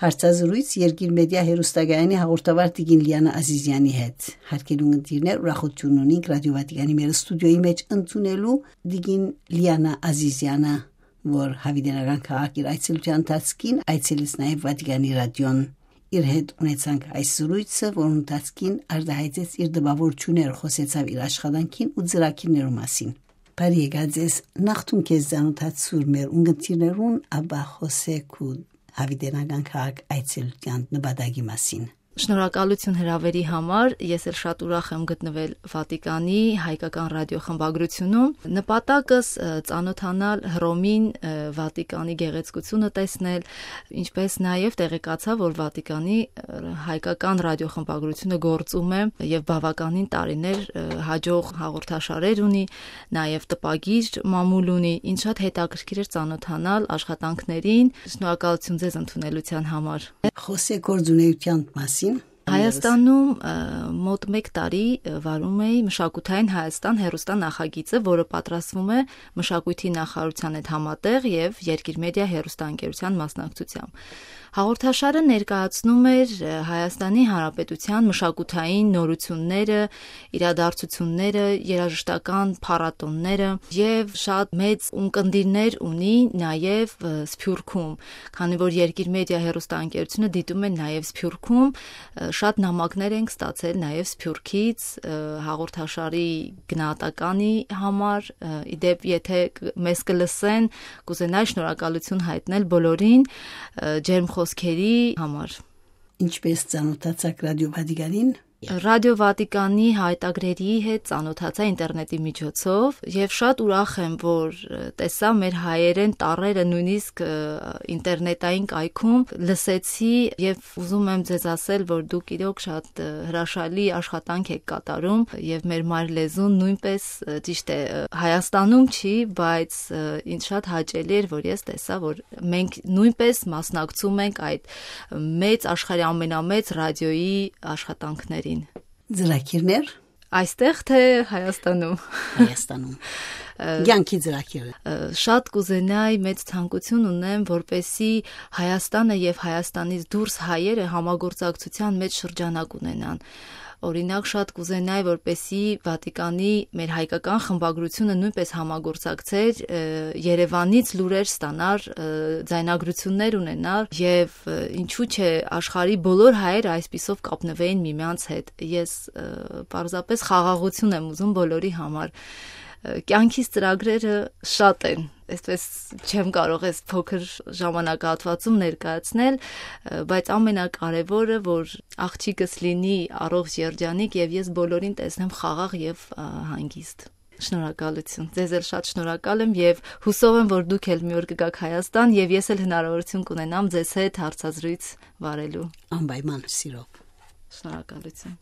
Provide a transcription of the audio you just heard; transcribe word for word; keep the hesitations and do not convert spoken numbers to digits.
Հարցազրոյց Երկիր Մեդիա հեռուստակայանի հաղորդավար տիկին Լիանա Ազիզեանի հետ։ Հարգելի ունգընտիրներ, ուրախութիւն ունինք Ռադիո Վատիկանի մեր ստուդիոյի մէջ ընդունելու տիկին Լիանա Ազիզեանը, որ Հավիտենական քաղաք իր այցելութեան ընթացքին այցելեց նաեւ Վատիկանի ռադիոն։ Իր հետ ունեցանք այս զրույցը, որուն ընթացքին արտահայտեց իր տպաւորութիւնները, խօսեցաւ իր աշխատանքին ու ծրագիրներու մասին։ Բարի եկած ես, նախ դուն քեզ ծանօթացուր մեր ունգընտիրներուն, ապա խօսենք ու Հավիտենական քաղաք այցելութեան նպատակի մասին։ Շնորհակալություն հրավերի համար, ես էլ շատ ուրախ եմ գտնվել Վատիկանի հայկական ռադիոխմբագրությունում։ Նպատակս, ը, ծանոթանալ Հռոմին, ը, Վատիկանի գեղեցկությունը տեսնել, ինչպես նաև տեղեկացա, որ Վատիկանի, ը, հայկական ռադիոխմբագրությունը գործում է և բավականին տարիներ, ը, հաջող հաղորդաշարեր ունի, նաև տպագիր մամուլ ունի, ինձ շատ հետաքրքիր էր ծանոթանալ աշխատանքներին։ Շնորհակալություն ձեզ ընդունելության համար։ Խօսենք գործունեութեան մասին։ Հայաստանում, ը, մոտ մեկ տարի, ը, վարում էի Մշակութային Հայաստան հեռուստա նախագիծը, որը պատրաստվում է Մշակույթի նախարարության հետ համատեղ և Երկիր Մեդիա հեռուստաընկերության մասնակցությամբ։ Հաղորդաշարը ներկայացնում էր, ը, Հայաստանի Հանրապետության մշակութային նորությունները, իրադարձությունները, երաժշտական փառատոնները և շատ մեծ ունկնդիրներ ունի նաև, ը, Սփյուռքում, քանի որ Երկիր Մեդիա հեռուստաընկերությունը դիտում է նաև Սփյուռքում, ը, շատ նամակներ ենք ստացել նաև Սփյուռքից, ը, հաղորդաշարի գնահատականի համար, ը, ի դեպ, եթե կ-, մեզ կը լսեն, կուզենայի շնորհակալություն հայտնել բոլորին, ը, ջերմ խօսքերի համար։ Ինչպես ծանոթացաք Ռադիո Վատիկանին։ Ռադիո Վատիկանի հայտագրերի հետ ծանոթացա ինտերնետի միջոցով և շատ ուրախ եմ, որ, ը, տեսա մեր հայերեն տառերը նույնիսկ, ը, ինտերնետային կայքում, լսեցի և ուզում եմ ձեզ ասել, որ դուք իրոք շատ, ը, հրաշալի աշխատանք եք կատարում և մեր մայր լեզուն նույնպես, ը, ճիշտ է, ը, Հայաստանում չի, բայց, ը, ինձ շատ հաճելի էր, որ ես տեսա, որ մենք նույնպես մասնակցում ենք այդ մեծ աշխարհի ամենամեծ ռադիոյի աշխատանքներին։ Ծրագիրներ։ Այստեղ թե Հայաստանում։ Հայաստանում։ Ը, Կյանքի ծրագիրը։ Ը, շատ կուզենայի, մեծ ցանկություն ունեմ, որպեսզի Հայաստանը և Հայաստանից դուրս հայերը համագործակցության մեջ շրջանակ ունենան։ Օրինակ, շատ կուզենայի, որպեսզի Վատիկանի մեր հայկական խմբագրությունը նույնպես համագործակցեր, ը, Երևանից լուրեր ստանար, ը, ձայնագրություններ ունենար և, ը, ինչու՞ չէ, աշխարհի բոլոր հայերը այսպիսով կապնվեին միմյանց հետ։ Ես, ը, պարզապես խաղաղություն եմ ուզում բոլորի համար։ Ը, կյանքիս ծրագրերը շատ են, այսպես չեմ կարող այս փոքր ժամանակահատվածում ներկայացնել, ը, բայց ամենակարևորը, որ աղջիկս լինի առողջ, երջանիկ և ես բոլորին տեսնեմ խաղաղ և, ը, հանգիստ։ Շնորհակալություն։ Ձեզ էլ շատ շնորհակալ եմ և հուսով եմ, որ դուք էլ մի օր կգաք Հայաստան և ես էլ հնարավորություն կունենամ ձեզ հետ հարցազրույց վարելու։ Անպայման, սիրով։ Շնորհակալություն։